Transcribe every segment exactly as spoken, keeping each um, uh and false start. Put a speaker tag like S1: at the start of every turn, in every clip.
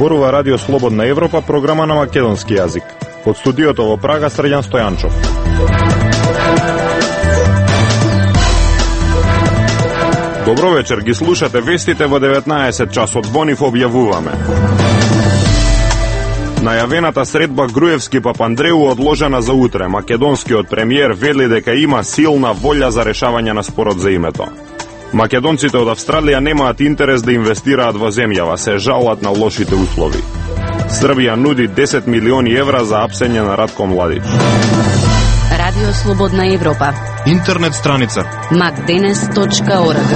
S1: Зборува Радио Слободна Европа, програма на македонски јазик. Од студиото во Прага, Срđan Стојанчов. Добро вечер, ги слушате вестите во деветнаесет часот. Бонив објавуваме. Најавената средба Груевски-Папандреу одложена за утре. Македонскиот премиер вели дека има силна волја за решавање на спорот за името. Македонците од Австралија немаат интерес да инвестираат во земјава, се жалат на лошите услови. Србија нуди десет милиони евра за апсење на Ратко Младич.
S2: Радио Слободна Европа.
S1: Интернет страница
S2: макденес точка орг.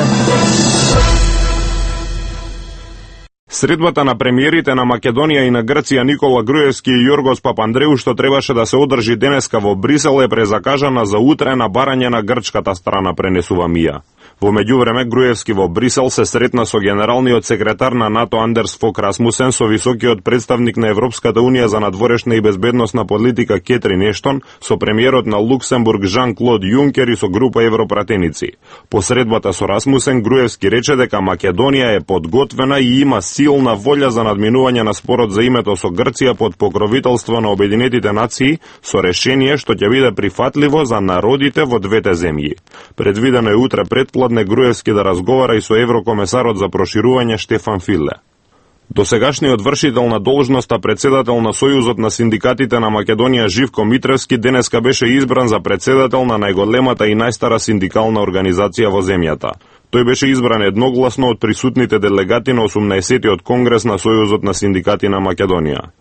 S1: Средбата на премиерите на Македонија и на Грција Никола Груевски и Јоргос Папандреу, што требаше да се одржи денеска во Брисел, е презакажана за утре на барање на грчката страна, пренесува МИА. Во меѓувреме, Груевски во Брисел се сретна со генералниот секретар на НАТО Андерс Фок Расмусен, со високиот представник на Европската Унија за надворешна и безбедносна политика Кетрин Ештон, со премиерот на Луксембург Жан-Клод Јункер и со група европратеници. По средбата со Расмусен, Груевски рече дека Македонија е подготвена и има силна волја за надминување на спорот за името со Грција под покровителство на Обединетите нации, со решение што ќе биде прифатливо за народите во двете земји. Предвидено е утре предпладне Груевски да разговара и со еврокомесарот за проширување Штефан Филе. Досегашниот вршител на должноста председател на Сојузот на синдикатите на Македонија Живко Митревски денеска беше избран за председател на најголемата и најстара синдикална организација во земјата. Тој беше избран едногласно од присутните делегати на осумнаесеттиот конгрес на Сојузот на синдикати на Македонија.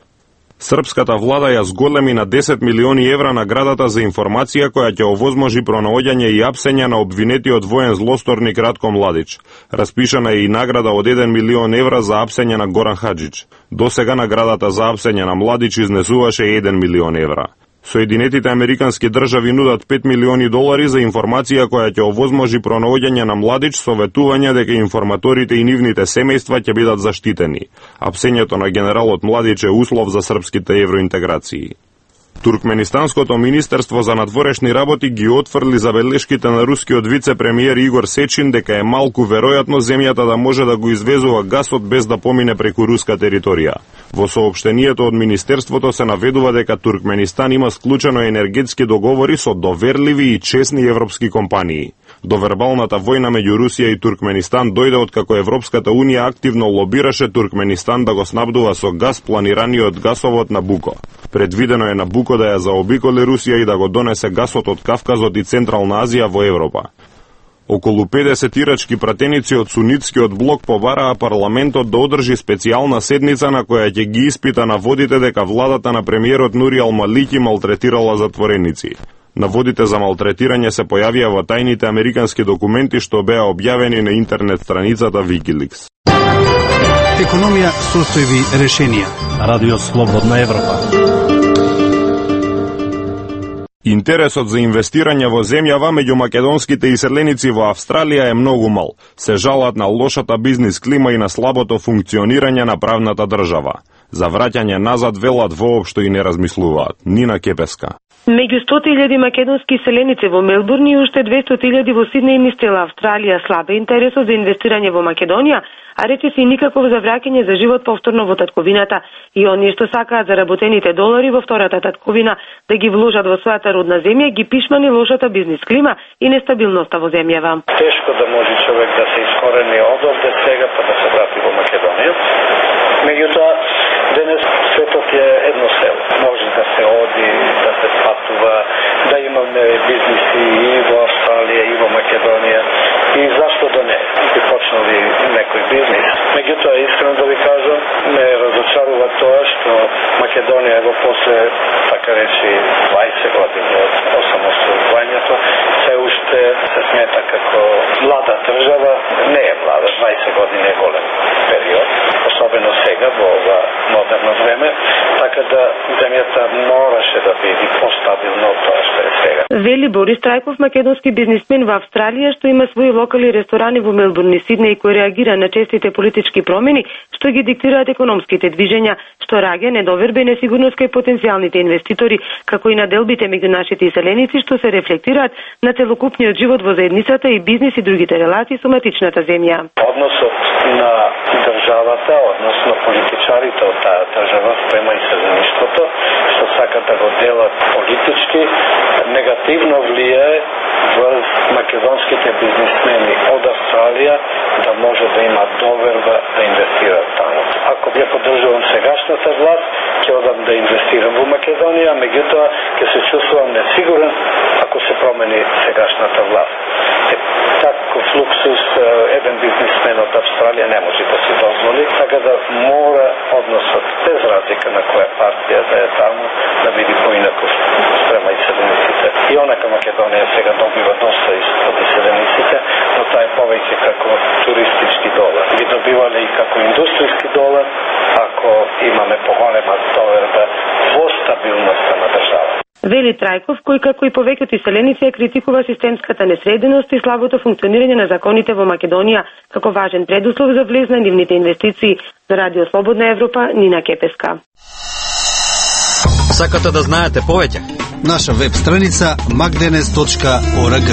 S1: Српската влада ја зголеми на десет милиони евра наградата за информација која ќе овозможи пронаоѓање и апсење на обвинетиот воен злосторник Ратко Младич. Распишана е и награда од еден милион евра за апсење на Горан Хаджич. До сега наградата за апсење на Младич изнесуваше еден милион евра. Соединетите американски држави нудат пет милиони долари за информација која ќе овозможи пронаоѓање на Младич, советување дека информаторите и нивните семејства ќе бидат заштитени. Апсењето на генералот Младич е услов за српските евроинтеграции. Туркменистанското министерство за надворешни работи ги отфрли забелешките на рускиот вице-премиер Игор Сечин дека е малку веројатно земјата да може да го извезува гасот без да помине преку руска територија. Во соопштението од министерството се наведува дека Туркменистан има склучено енергетски договори со доверливи и честни европски компании. До вербалната војна меѓу Русија и Туркменистан дојде откако Европската Унија активно лобираше Туркменистан да го снабдува со газ планираниот гасовод Набуко. Предвидено е Набуко да ја заобиколи Русија и да го донесе гасот од Кавказот и Централна Азија во Европа. Околу педесет ирачки пратеници од сунитскиот блок побараа парламентот да одржи специјална седница на која ќе ги испита наводите дека владата на премиерот Нури Ал-Малики малтретирала затвореници. Наводите за малтретирање се појавија во тајните американски документи што беа објавени на интернет страницата Wikileaks.
S3: Економија, состојби, решенија.
S4: Радио Слободна Европа.
S1: Интересот за инвестирање во земјава меѓу македонските иселеници во Австралија е многу мал. Се жалат на лошата бизнис клима и на слабото функционирање на правната држава. За враќање назад велат воопшто и не размислуваат. Нина Кепеска.
S5: Меѓу сто илјади македонски иселеници во Мелбурн и уште двесто илјади во Сиднеј мислела Австралија слабе интересот за инвестирање во Македонија, а речиси никаков за враќање за живот повторно во татковината и оние што сакаат заработените долари во втората татковина да ги вложат во својата родна земја, ги пишмани лошата бизнис клима и нестабилноста во земјава.
S6: Тешко да може човек да се искорени одовде сега па да се врати во Македонија. Меѓутоа, денес светот е едно село. Може да се оди, да се патува, да имаме бизниси и во Австралија, и во Македонија. И зашто да не? Би почнали некој бизнис. Меѓутоа, искрено да ви кажам, ме разочарува тоа што Македонија во после, така речи, дваесет години од осамостојувањето, се уште се смета како млада држава. Не е млада, дваесет години е голем период, особено сега во ова модерно време, така така да земјата мораше да биде постабилна од тоа што е сега.
S5: Вели Борис Трајков, македонски бизнисмен во Австралија, што има своји локални ресторани во Мелбурн и Сиднеј, кој реагира на честите политички промени што ги диктираат економските движења, што раѓа недоверба и несигурност кај потенцијалните инвеститори, како и на делбите меѓу нашите иселеници што се рефлектираат на целокупниот живот во заедницата и бизнис и другите релации со матичната земја.
S6: Односот на државата, однос на политичарите од таа држава спрема иселеништвото, што сакат да го делат политички, негативно влијае врз македонските бизнисмени од Австралија да може да има доверба да инвестираат таму. Ако ја поддржувам сегашната власт, ќе одам да инвестирам во Македонија, меѓутоа ќе се чувствувам несигурен ако се промени сегашната власт. Е, таков луксус еден бизнисмен од Австралија не може да се дозволи, така да мора односот без разлика на која партија да е таму да биде поинаков спрема иселениците. И онака Македонија сега добива доста од иселениците, но тоа е повеќе како туристички долар. Би добивале и како индустријски долар ако имаме поголема доверба во стабилноста на држава.
S5: Вели Трајков, кој како и повеќето иселеници ја критикува системската несреденост и слабото функционирање на законите во Македонија како важен предуслов за влез на нивните инвестиции. За Радио Слободна Европа, Нина Кепеска.
S7: Сакате да знаете повеќе?
S3: Наша веб страница макденес точка орг.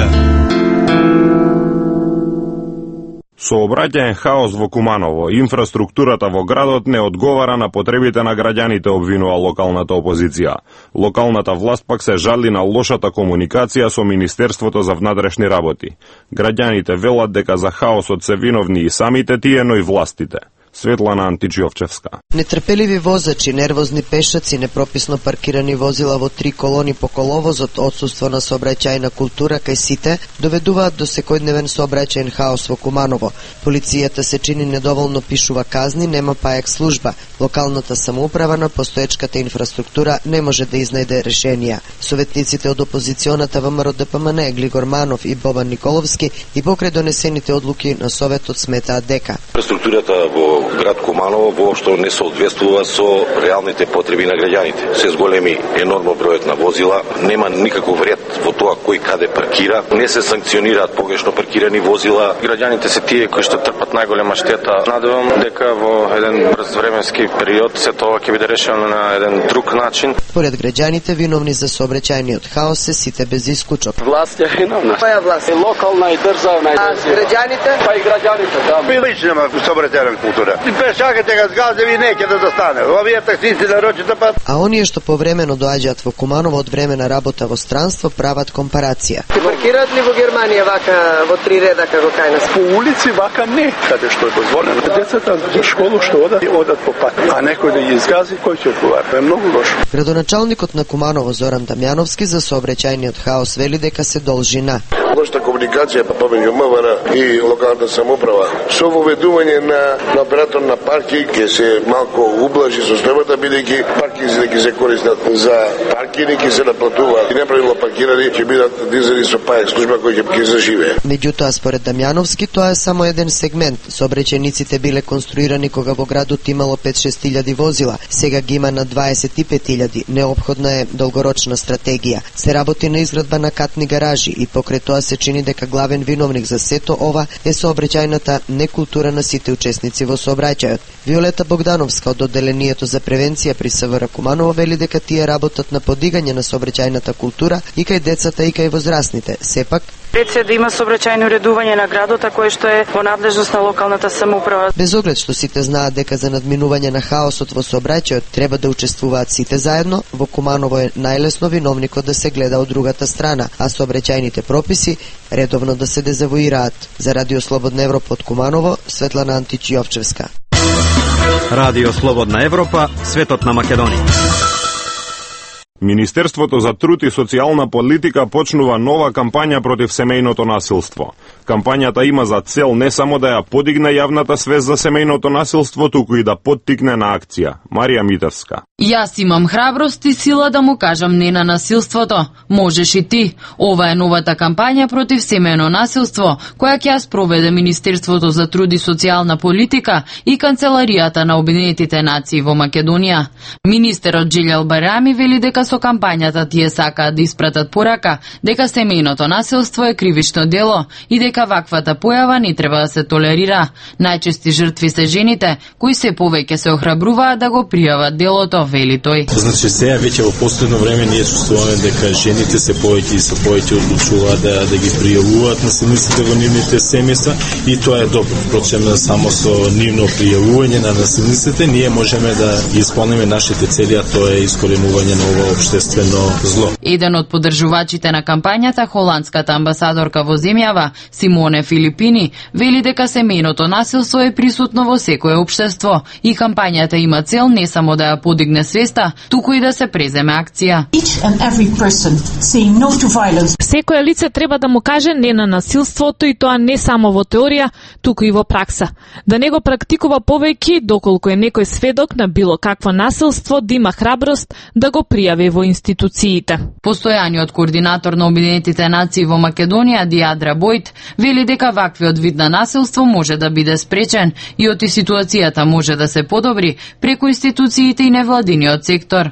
S1: Сообраќаен хаос во Куманово, инфраструктурата во градот не одговара на потребите на граѓаните, обвинува локалната опозиција. Локалната власт пак се жали на лошата комуникација со Министерството за внатрешни работи. Граѓаните велат дека за хаосот се виновни и самите тие, но и властите. Светлана Античиовчевска.
S8: Нетрпеливи возачи, нервозни пешаци, непрописно паркирани возила во три колони по коловозот, отсуство на сообраќајна култура кај сите, доведуваат до секојдневен сообраќајен хаос во Куманово. Полицијата се чини недоволно пишува казни, нема паек служба. Локалната самоуправа на постоечката инфраструктура не може да изнајде решенија. Советниците од опозиционата ВМРО Д П М Н, Глигор Манов и Бобан Николовски, и покрај донесените одлуки на Советот сметаат дека
S9: инфраструктурата во град Куманово воопшто не соодветствува со реалните потреби на граѓаните. Се зголеми енормно бројот на возила, нема никаков ред во тоа кој каде паркира, не се санкционираат погрешно паркирани возила.
S10: Граѓаните се тие кои што трпат најголема штета. Надевам дека во еден брз временски период се тоа ќе биде решено на еден друг начин.
S8: Поред граѓаните виновни за сообраќајниот хаос се сите без исклучок.
S11: Власт е виновна.
S8: Која власт?
S11: И локална и државна.
S8: А граѓаните?
S11: Па и граѓаните, да.
S12: Би лично нема сообраќајна култура. И пешаките га згазе ви неќе да застане. Овие таксисти на рочите пат.
S8: А оние што повремено доаѓаат во Куманово од време на работа во странство прават компарација.
S13: Ти паркираат ли во Германија вака во три реда како кај нас?
S11: По улици вака не, каде што е дозволено. Децата за школу што одат, одат по пат. А некој да ги изгази, кој ќе одговара? Е многу лошо.
S8: Градоначалникот на Куманово Зоран Дамјановски за сообраќајниот хаос вели дека се должи на
S14: лошата комуникација помеѓу М В Р и локалната самоуправа. Со воведување на, на оператор на паркинг ќе се малку ублажи состојбата, бидејќи паркинзите ќе се користат за паркинг и се наплатуваат. И неправилно паркирани ќе бидат дизели со паек служба кој ќе заживее.
S8: Меѓутоа, според Дамјановски, тоа е само еден сегмент. Сообраќајниците биле конструирани кога во градот имало пет-шест илјади возила, сега ги има на дваесет и пет илјади. Неопходна е долгорочна стратегија. Се работи на изградба на катни гаражи и покрај тоа се чини дека главен виновник за сето ова е сообраќајната некултура на сите учесници во сообраќајот. Виолета Богдановска од одделението за превенција при С В Р Куманово вели дека тие работат на подигање на сообраќајната култура и кај децата и кај возрастните. Сепак
S15: Ред се да има сообраќајно уредување на градот, кое што е во надлежност на локалната самоуправа.
S8: Без оглед што сите знаат дека за надминување на хаосот во сообраќајот треба да учествуваат сите заедно, во Куманово е најлесно виновникот да се гледа од другата страна, а сообраќајните прописи редовно да се дезавуираат. За Радио Слободна Европа од Куманово, Светлана Античиовчевска.
S4: Радио Слободна Европа, светот на Македонија.
S1: Министерството за труд и социјална политика почнува нова кампања против семејното насилство. Кампањата има за цел не само да ја подигне јавната свест за семејното насилство, туку и да поттикне на акција. Марија Митевска.
S7: Јас имам храброст и сила да му кажам не на насилството. Можеш и ти. Ова е новата кампања против семејно насилство, која ќе ја спроведе Министерството за труд и социјална политика и Канцеларијата на Обединетите нации во Македонија. Министерот Джилјал Барами вели дека со кампањата тие сакаат да испратат порака дека семејното насилство е кривично дело и дека ваквата појава не треба да се толерира. Најчести жртви се жените, кои се повеќе се охрабруваат да го пријават делото, вели тој.
S16: Значи сега веќе во последно време ние чувствуваме дека жените се повеќе и се повеќе одлучуваат да да ги пријавуваат насилниците во нивните семејства и тоа е добро. Впрочем, само со нивно пријавување на насилниците ние можеме да исполниме нашите цели, а тоа е искоренување на ова општествено зло.
S7: Еден од поддржувачите на кампањата, холандската амбасадорка во земјава, Симоне Филипини, вели дека семејното насилство е присутно во секое општество и кампањата има цел не само да ја подигне свеста, туку и да се преземе акција.
S17: Секое лице треба да му каже не на насилството и тоа не само во теорија, туку и во пракса. Да не го практикува повеќе, доколку е некој сведок на било какво насилство, да има храброст да го пријави во институциите.
S7: Постојаниот координатор на Обединетите нации во Македонија, Диадра Бојт, вели дека ваквиот вид на насилство може да биде спречен и оти ситуацијата може да се подобри преку институциите и невладиниот сектор.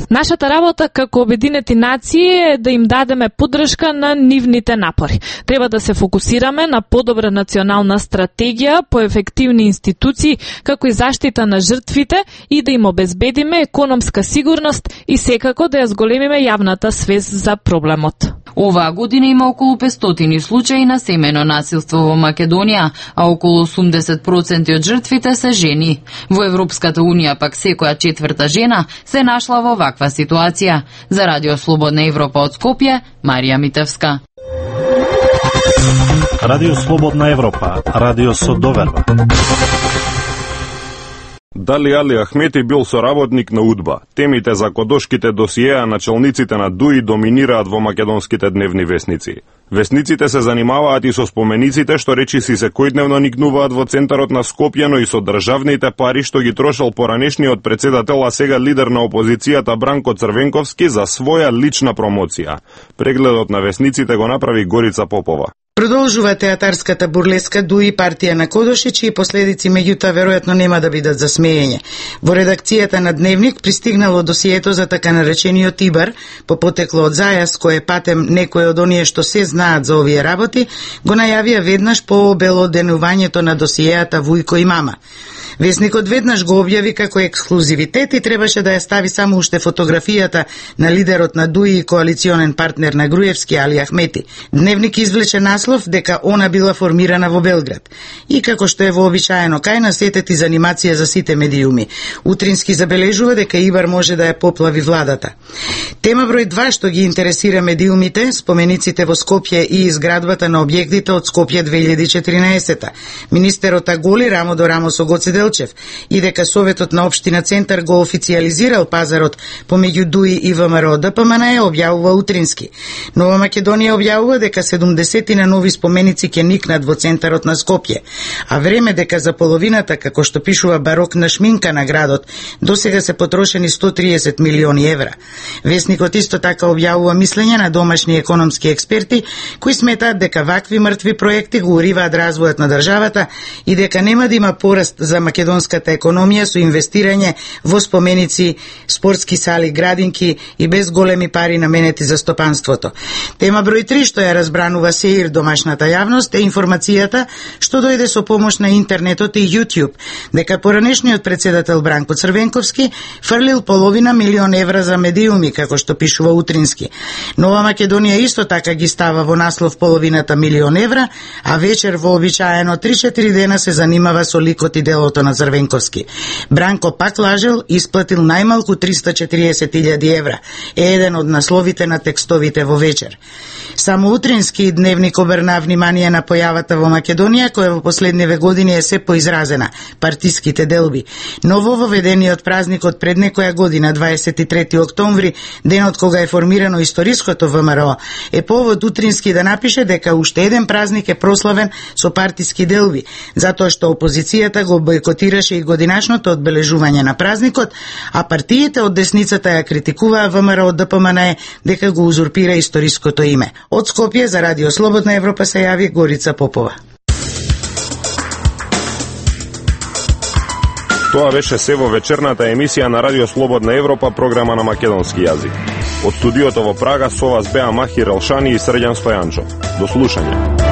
S17: Нашата работа како Обединети нации е да им дадеме поддршка на нивните напори. Треба да се фокусираме на подобра национална стратегија, поефективни институции, како и заштита на жртвите и да им обезбедиме економска сигурност и секако да ја зголемиме јавната свест за проблемот.
S7: Оваа година има околу петстотини случаи на семејно насилство во Македонија, а околу осумдесет проценти од жртвите се жени. Во Европската унија пак секоја четврта жена се нашла во ваква ситуација. За Радио Слободна Европа од Скопје, Марија Митевска.
S4: Радио Слободна Европа, радио со доверба.
S1: Дали Али Ахмети бил соработник на УДБА? Темите за кодошките досиеа на челниците на ДУИ доминираат во македонските дневни весници. Весниците се занимаваат и со спомениците што речиси секојдневно никнуваат во центарот на Скопје, но и со државните пари што ги трошел поранешниот председател, а сега лидер на опозицијата Бранко Црвенковски за своја лична промоција. Прегледот на весниците го направи Горица Попова.
S18: Продолжува театарската бурлеска ДУИ партија на Кодоши, чии последици меѓутоа веројатно нема да бидат за смеење. Во редакцијата на Дневник пристигнало досието за така наречениот Ибар, по потекло од зајас кој е патем некој од оние што се знаат за овие работи, го најавија веднаш по обелоденувањето на досиеата Вујко и Мама. Весникот веднаш го објави како ексклузивитет и требаше да ја стави само уште фотографијата на лидерот на ДУИ и коалиционен партнер на Груевски Али Ахмети. Дневник извлече наслов дека она била формирана во Белград. И како што е вообичаено кај на сетет и занимација за сите медиуми. Утрински забележува дека Ибар може да ја поплави владата. Тема број два што ги интересира медиумите, спомениците во Скопје и изградбата на објектите од Скопје две илјади и четиринаесета. Министерот Аголи рамо до рамо со Гоце Делчев и дека Советот на Општина Центар го официјализирал пазарот помеѓу ДУИ и ВМРО ДПМН е објавува утрински. Нова Македонија објавува дека седумдесет на нови споменици ќе никнат во центарот на Скопје, а време дека за половината, како што пишува барокна шминка на градот, досега се потрошени сто триесет милиони евра. Весникот исто така објавува мислење на домашни економски експерти кои сметаат дека вакви мртви проекти го уриваат развојот на државата и дека нема да има пораст за македонската економија со инвестирање во споменици, спортски сали, градинки и без големи пари наменети за стопанството. Тема број три што ја разбранува сеир домашната јавност е информацијата што дојде со помош на интернетот и YouTube, дека поранешниот председател Бранко Црвенковски фрлил половина милион евра за медиуми, како што пишува утрински. Нова Македонија исто така ги става во наслов половината милион евра, а вечер вообичаено три-четири дена се занимава со ликот и делото на Црвенковски. Бранко пак лажел, исплатил најмалку триста и четириесет илјади евра. Е еден од насловите на текстовите во Вечер. Само утрински дневник обрна внимание на појавата во Македонија, која во последниве години е се поизразена – партиските делби. Новововедениот празникот пред некоја година, дваесет и трети октомври, денот кога е формирано историското ВМРО, е повод утрински да напише дека уште еден празник е прославен со партиски делби, затоа што опозицијата го бойкотираше и годинашното одбележување на празникот, а партиите од десницата ја критикуваа ВМРО ДПМНЕ дека го узурпира историското име. Од Скопје за Радио Слободна Европа се јави Горица Попова.
S1: Тоа беше се во вечерната емисија на Радио Слободна Европа, програма на македонски јазик. Од студиото во Прага со вас беа Махир Елшани и Срđan Стојанчов. До слушање.